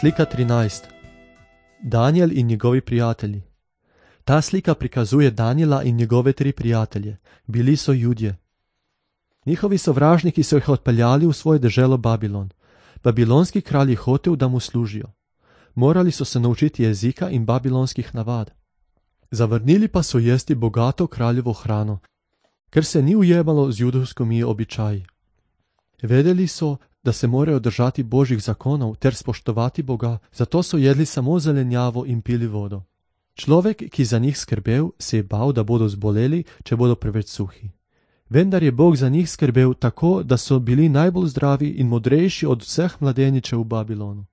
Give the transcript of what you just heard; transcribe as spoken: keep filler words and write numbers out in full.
Slika trinajst. Danijel in njegovi prijatelji. Ta slika prikazuje Danijela in njegove tri prijatelje. Bili so Judje. Njihovi sovražniki so jih odpeljali v svoje deželo Babilon. Babilonski kralj je hotel, da mu služijo. Morali so se naučiti jezika in babilonskih navad. Zavrnili pa so jesti bogato kraljevo hrano, ker se ni ujemalo z judovskimi običaji. Vedeli so, da se morajo držati Božjih zakonov ter spoštovati Boga, zato so jedli samo zelenjavo in pili vodo. Človek, ki za njih skrbel, se je bal, da bodo zboleli, če bodo preveč suhi. Vendar je Bog za njih skrbel tako, da so bili najbolj zdravi in modrejši od vseh mladeničev v Babilonu.